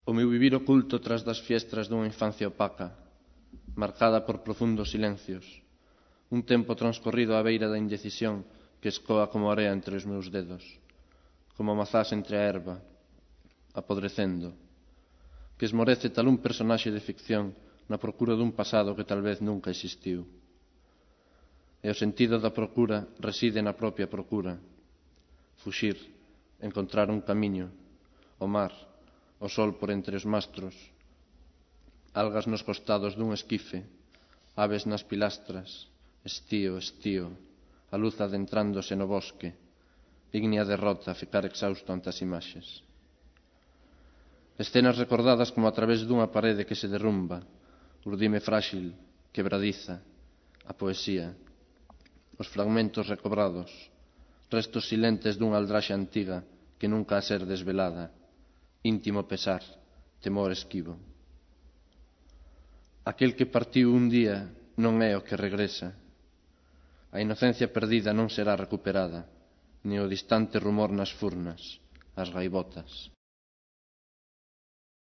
O meu vivir oculto tras das fiestras dunha infancia opaca, marcada por profundos silencios, un tempo transcorrido á beira da indecisión que escoa como area entre os meus dedos, como mazás entre a erva, apodrecendo, que esmorece tal un personaxe de ficción na procura dun pasado que tal vez nunca existiu. E o sentido da procura reside na propia procura. Fuxir, encontrar un camiño, o mar, o sol por entre os mastros, algas nos costados dun esquife, aves nas pilastras, estío, estío, a luz adentrándose no bosque, ígnea derrota a ficar exhausto ante as imaxes. Escenas recordadas como a través dunha parede que se derrumba, urdime frágil, quebradiza, a poesía, os fragmentos recobrados, restos silentes dunha aldraxe antiga que nunca a ser desvelada, íntimo pesar, temor esquivo. Aquel que partiu un día non é o que regresa. A inocencia perdida non será recuperada, ni o distante rumor nas furnas, as gaivotas.